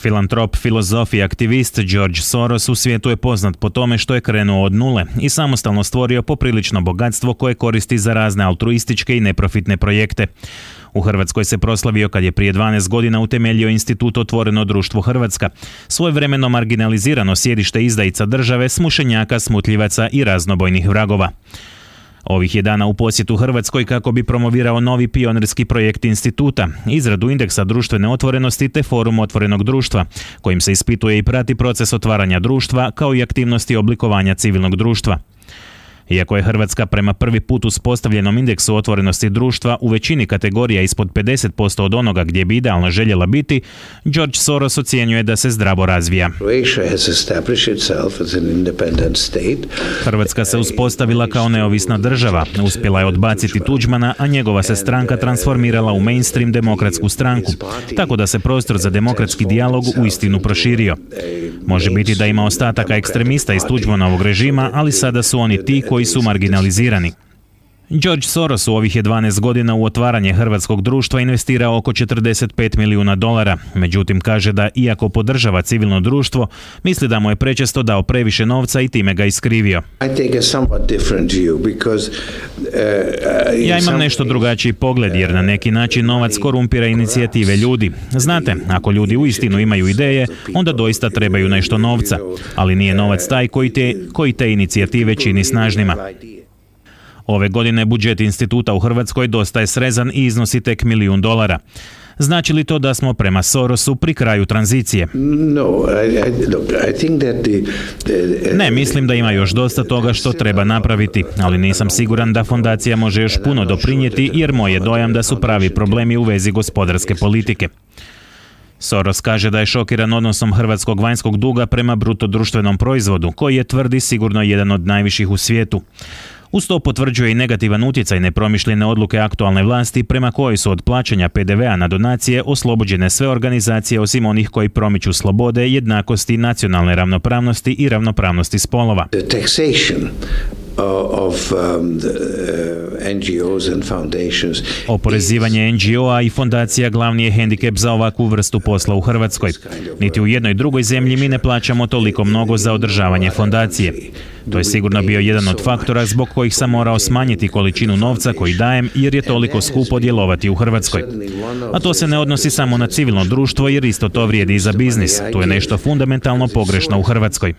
Filantrop, filozof i aktivist George Soros u svijetu je poznat po tome što je krenuo od nule i samostalno stvorio poprilično bogatstvo koje koristi za razne altruističke i neprofitne projekte. U Hrvatskoj se proslavio kad je prije 12 godina utemeljio institut Otvoreno društvo Hrvatska, svojevremeno marginalizirano sjedište izdajica države, smušenjaka, smutljivaca i raznobojnih vragova. Ovih je dana u posjetu Hrvatskoj kako bi promovirao novi pionirski projekt instituta, izradu indeksa društvene otvorenosti te forum otvorenog društva, kojim se ispituje i prati proces otvaranja društva kao i aktivnosti oblikovanja civilnog društva. Iako je Hrvatska prema prvi put uspostavljenom indeksu otvorenosti društva u većini kategorija ispod 50% od onoga gdje bi idealno željela biti, George Soros ocjenjuje da se zdravo razvija. Hrvatska se uspostavila kao neovisna država, uspjela je odbaciti Tuđmana, a njegova se stranka transformirala u mainstream demokratsku stranku, tako da se prostor za demokratski dijalog uistinu proširio. Može biti da ima ostataka ekstremista iz Tuđmanovog režima, ali sada su oni ti koji su marginalizirani. George Soros u ovih je 12 godina u otvaranje hrvatskog društva investirao oko $45 milijuna. Međutim, kaže da iako podržava civilno društvo, misli da mu je prečesto dao previše novca i time ga iskrivio. Ja imam nešto drugačiji pogled jer na neki način novac korumpira inicijative ljudi. Znate, ako ljudi uistinu imaju ideje, onda doista trebaju nešto novca, ali nije novac taj koji te inicijative čini snažnima. Ove godine budžet instituta u Hrvatskoj dosta je srezan i iznosi tek $1 milijun. Znači li to da smo prema Sorosu pri kraju tranzicije? Ne, mislim da ima još dosta toga što treba napraviti, ali nisam siguran da fondacija može još puno doprinijeti jer moj je dojam da su pravi problemi u vezi gospodarske politike. Soros kaže da je šokiran odnosom hrvatskog vanjskog duga prema bruto društvenom proizvodu, koji je, tvrdi, sigurno jedan od najviših u svijetu. Uz to potvrđuje i negativan utjecaj nepromišljene odluke aktualne vlasti prema kojoj su od plaćanja PDV-a na donacije oslobođene sve organizacije osim onih koji promiču slobode, jednakosti, nacionalne ravnopravnosti i ravnopravnosti spolova. Oporezivanje NGO-a i fondacija glavni je hendikep za ovakvu vrstu posla u Hrvatskoj. Niti u jednoj drugoj zemlji mi ne plaćamo toliko mnogo za održavanje fondacije. To je sigurno bio jedan od faktora zbog kojih sam morao smanjiti količinu novca koji dajem jer je toliko skupo djelovati u Hrvatskoj. A to se ne odnosi samo na civilno društvo jer isto to vrijedi i za biznis. Tu je nešto fundamentalno pogrešno u Hrvatskoj.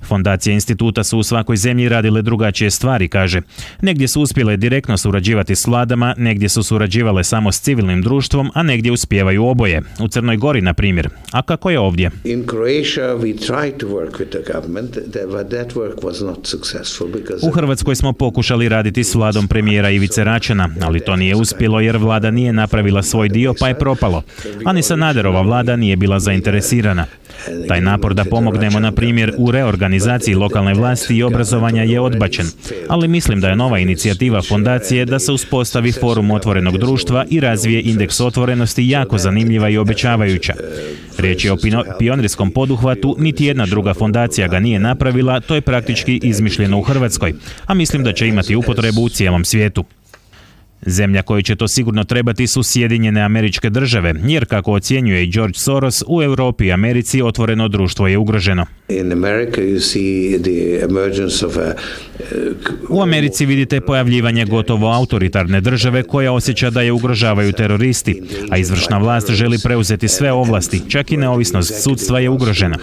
Fondacije instituta su u svakoj zemlji radile drugačije stvari, kaže. Negdje su uspjele direktno surađivati s vladama, negdje su surađivale samo s civilnim društvom, a negdje uspijevaju oboje. U Crnoj Gori, na primjer. A kako je ovdje? U Hrvatskoj smo pokušali raditi s vladom premijera Ivice Račana, ali to nije uspjelo jer vlada nije napravila svoj dio pa je propalo. A ni Sanaderova vlada nije bila zainteresirana. Taj napor da pomognemo, na primjer, u reorganizaciji lokalne vlasti i obrazovanja je odbačen, ali mislim da je nova inicijativa fondacije da se uspostavi forum otvorenog društva i razvije indeks otvorenosti jako zanimljiva i obećavajuća. Riječ je o pionirskom poduhvatu, niti jedna druga fondacija ga nije napravila, to je praktički izmišljeno u Hrvatskoj, a mislim da će imati upotrebu u cijelom svijetu. Zemlja kojoj će to sigurno trebati su Sjedinjene Američke Države, jer kako ocjenjuje i George Soros, u Europi i Americi otvoreno društvo je ugroženo. U Americi vidite pojavljivanje gotovo autoritarne države koja osjeća da je ugrožavaju teroristi, a izvršna vlast želi preuzeti sve ovlasti, čak i neovisnost sudstva je ugrožena.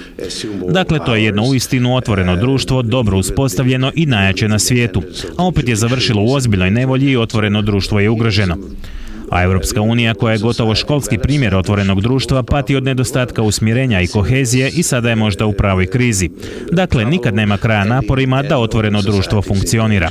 Dakle, to je jedno uistinu otvoreno društvo, dobro uspostavljeno i najjače na svijetu, a opet je završilo u ozbiljnoj nevolji i otvoreno društvo je ugroženo. A Europska unija, koja je gotovo školski primjer otvorenog društva, pati od nedostatka usmjerenja i kohezije i sada je možda u pravoj krizi. Dakle, nikad nema kraja naporima da otvoreno društvo funkcionira.